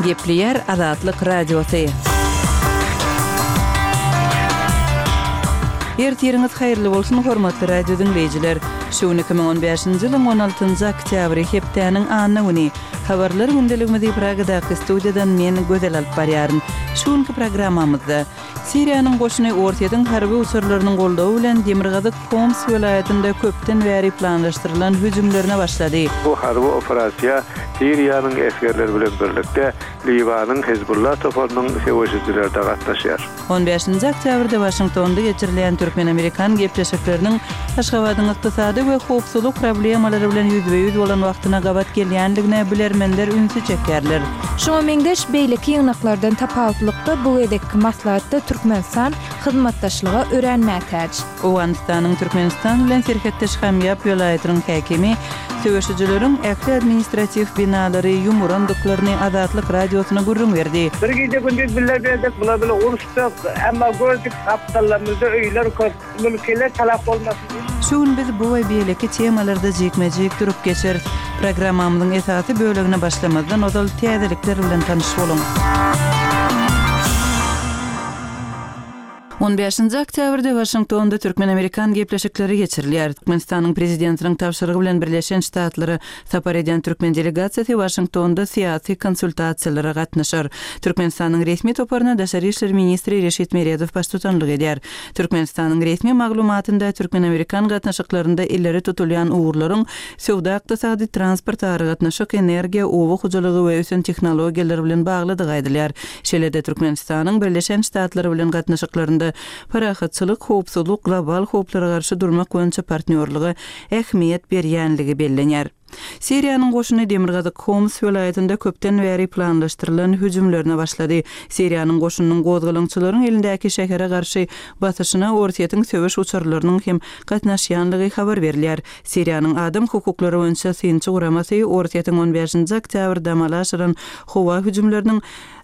Gepleýär Azatlyk Radiosy. Ertiriňiz haýyrly bolsun, hormatly radio diňleýjiler! Şu gün 2015-nji ýylyň 16-njy oktýabry, hepdäniň anna güni. Habarlar gündeligimizi Pragadaky studiýadan men, Gözel alyp barýaryn. Şu günki programmamyzda. Siriýanyň goşuny Orsýetiň harby uçarlarynyň goldawy bilen demirgazyk Homs welaýatynda köpden bäri planlaşdyrylan hüjümlerine başlady. Bu harby operasiýa Siriýanyň esgerleri bilen birlikde Liwanyň Hezbollah toparynyň söweşijileri-de gatnaşýar. On bäşinji oktýabrda Waşingtonda geçirilýän türkmen-amerikan gepleşikleriniň Aşgabadyň ykdysady we howpsuzlyk problemalary bilen ýüzbe-ýüz bolan wagtyna gabat gelýändigine bilermenler ünsi çekýärler. Şuňa meňzeş beýleki ýygnaklardan tapawutlykda bu gezekki maslahatda Türkmenistan hyzmatdaşlyga örän mätäç. Owganystanyň Türkmenistan bilen serhetdeş Hamýap welaýatynyň häkimi söweşijileriň ähli administratiw binalary ýumurandyklaryny Azatlyk Radiosyna gürrüň berdi. Bir gije-gündiz bile berdik, bular bile uruşdyk. Emma gördük, gapdallarymyzda öýler köp. Mülkiler talap bolmasyn diýip. Şu gün biz bu we beýleki temalarda jikme-jik durup geçeris. Programmamyzyň esasy bölegine başlamazdan ozal täzelikler bilen tanyş boluň. On bäşinji oktýabrda Waşingtonda türkmen-amerikan gepleşikleri geçirilýär. Türkmenistanyň Prezidentiniň tabşyrygy bilen Birleşen Ştatlara sapar edýän türkmen delegasiýasy Waşingtonda syýasy konsultasiýalara gatnaşar. Türkmenistanyň resmi toparyna daşary işler ministri Reşit Meredow baştutanlyk edýär. Türkmenistanyň resmi maglumatynda türkmen-amerikan gatnaşyklarynda ileri tutulýan ugurlaryň söwda-ykdysady, transport, aragatnaşyk, energiýa, oba hojalygy we ösen tehnologiýalar bilen baglydygy aýdylýar. Şeýle-de Türkmenistanyň Birleşen Ştatlar bilen gatnaşyklarynda parahatçylyk, howpsuzlyk, global howplara garşy durmak boýunça partnýorlyga ähmiýet berýänligi bellenýär. Siriýanyň goşuny demirgazyk Homs welaýatynda köpden bäri planlaşdyrylan hüjümlerine başlady. Siriýanyň goşunynyň gozgalaňçylaryň elindäki şähere garşy basyşyna Orsýetiň söweş uçarlarynyň hem gatnaşýanlygy habar berilýär. Siriýanyň adam hukuklary boýunça synçy guramasy Orsýetiň on bäşinji oktýabrda amala aşyran howa hüjümleriniň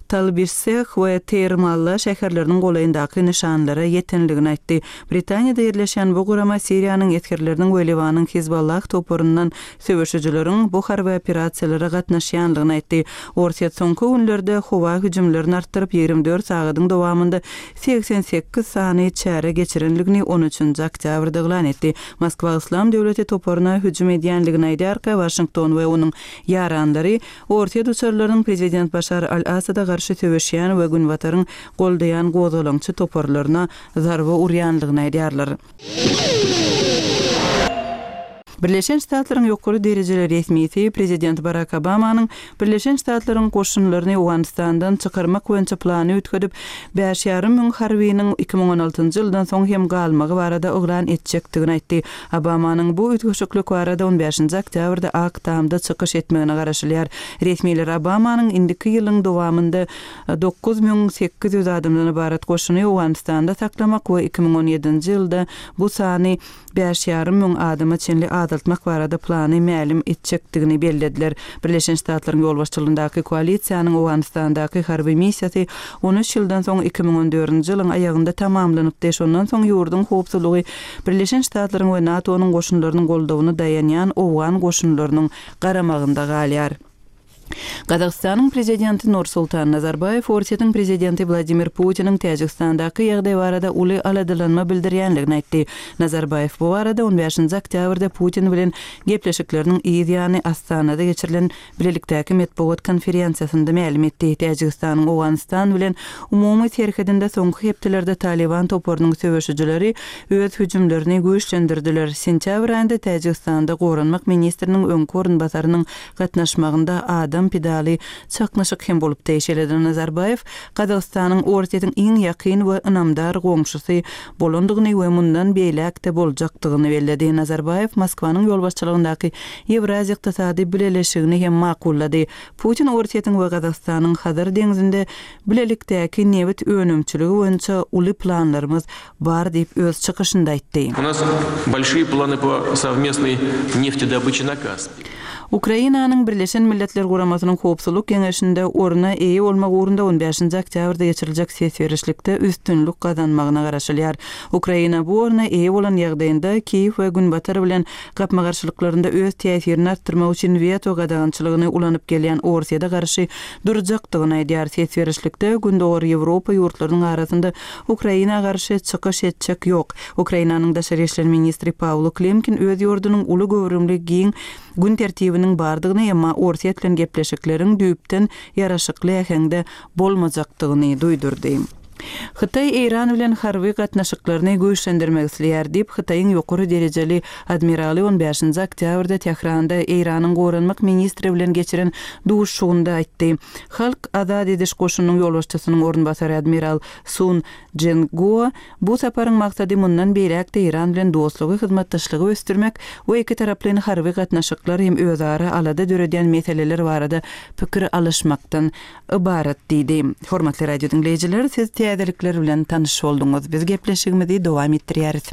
Talbisseh we Teýrmalla şäherleriniň golaýyndaky nyşanlara ýetenligini aýtdy. Britaniýada ýerleşýän bu gurama Siriýanyň esgerleriniň we Liwanyň Hizballah toparyndan söweşijileriň bu harby operasiýalara gatnaşýanlygyny aýtdy. Orsýet soňky günlerde howa hüjümlerini artdyryp, 24 sagadyň dowamynda 88 sany çäre geçirenligini on üçünji oktýabrda yglan etdi. Moskwa Yslam döwleti toparyna hüjüm edýänligini aýdýarka, Waşington we onuň ýaranlary Orsýet uçarlarynyň prezident Başar al-Assada garşy söweşýän we Günbataryň goldaýan gozgalaňçy toparlaryna zarba urýanlygyny aýdýarlar. Birleşen Ştatlaryň ýokary derejeli resmisi prezident Barak Obamanyň Birleşen Ştatlaryň goşunlaryny Owganystandan çykarmak boýunça plany üýtgedip, bäş ýarym müň harbynyň 2016 njy ýyldan soň hem galmagy barada yglan etjekdigini aýtdy. Obamanyň bu üýtgeşiklik barada on bäşinji oktýabrda Ak Tamda çykyş etmegine garaşylýar. Resmiler Obamanyň indiki ýylyň dowamynda 9800 adamdan ybarat goşuny Owganystanda saklamak we 2017-nji ýylda bu sany bäş ýarym müň adama çenli azaltmak barada plany mälim etjekdigini bellediler. Birleşen Ştatlaryň ýolbaşçylygyndaky koalisiýanyň Owganystandaky harby missiýasy on üç ýyldan soň 2014-nji ýylyň aýagynda tamamlanypdy. Şondan soň ýurduň howpsuzlygy Birleşen Ştatlaryň we NATO-nyň goşunlarynyň goldawyna daýanýan owgan goşunlarynyň garamagynda galýar. Gazagystanyň Prezidenti Nursultan Nazarbaýew Orsýetiň Prezidenti Wladimir Putiniň Täjigistandaky ýagdaý barada uly aladalanma bildirýänligini aýtdy. Nazarbaýew bu barada on bäşinji oktýabrda Putin bilen gepleşikleriniň yz ýany Astanada geçirilen bilelikdäki metbugat konferensiýasynda mälim etdi. Täjigistanyň Owganystan bilen umumy serhedinde soňky hepdelerde Talyban toparynyň söweşijileri öz hüjümlerini güýçlendirdiler. Sentýabr aýynda Täjigistanda goranmak ministriniň öňki orunbasarynyň gatnaşmagynda adam pidaly çaknyşyk hem bolupdy. Şeýle-de Nazarbaýew Gazagystanyň Orsýetiň iň ýakyn we ynamdar goňşusy bolandygyny we mundan beýläk-de boljakdygyny belledi. Nazarbaýew Moskwanyň ýolbaşçylygyndaky Ýewraziýa Ykdysady Bileleşigini hem makullady. Putin Orsýetiň we Gazagystanyň Hazar deňzinde bilelikdäki nebit önümçiligi boýunça uly planlarymyz bar diýip öz çykyşynda aýtdy. U nas bolşiýe plany po sowmestnoý neftedobıçe na Kaspii. Ukrainanyň Birleşen Milletler Guramasynyň Howpsuzlyk Geňeşinde orna eýe bolmak ugrunda on bäşinji oktýabrda geçiriljek ses berişlikde üstünlik gazanmagyna garaşylýar. Ukraina bu orna eýe bolan ýagdaýynda Kiýew we Günbatar bilen gapma-garşylyklarynda öz täsirini artdyrmak üçin weto gadagançylygyny ulanyp gelýän Orsýete garşy durjakdygyny aýdýar. Ses berişlikde Gündogar Ýewropa ýurtlarynyň arasynda Ukraina garşy çykyş etjek ýok. Ukrainanyň daşary işler ministri Pawlo Klimkin öz ýurdunyň uly göwrümli giň gün tertibiniň bardygyny, emma Orsýet bilen gepleşikleriň düýpden ýaraşykly äheňde bolmajakdygyny duýdurdy. Hytaý Eýran bilen harby gatnaşyklaryny güýçlendirmek isleýär diýip, Hytaýyň ýokary derejeli admiraly on bäşinji oktýabrda Tähranda Eýranyň goranmak ministri bilen geçiren duşuşygynda aýtdy. Halk azat ediş goşunynyň ýolbaşçysynyň orunbasary admiral Sun Jingua bu saparyň maksady mundan beýläk-de Eýran bilen dostlugy, hyzmatdaşlygy ösdürmek we ikitaraplaýyn harby gatnaşyklar hem özara alada döredýän meseleler barada pikir alyşmakdan ybarat diýdi. Hormatly radio diňleýjiler, siz täzelikler bilen tanyş bolduňyz. Biz gepleşigimizi dowam etdirýäris.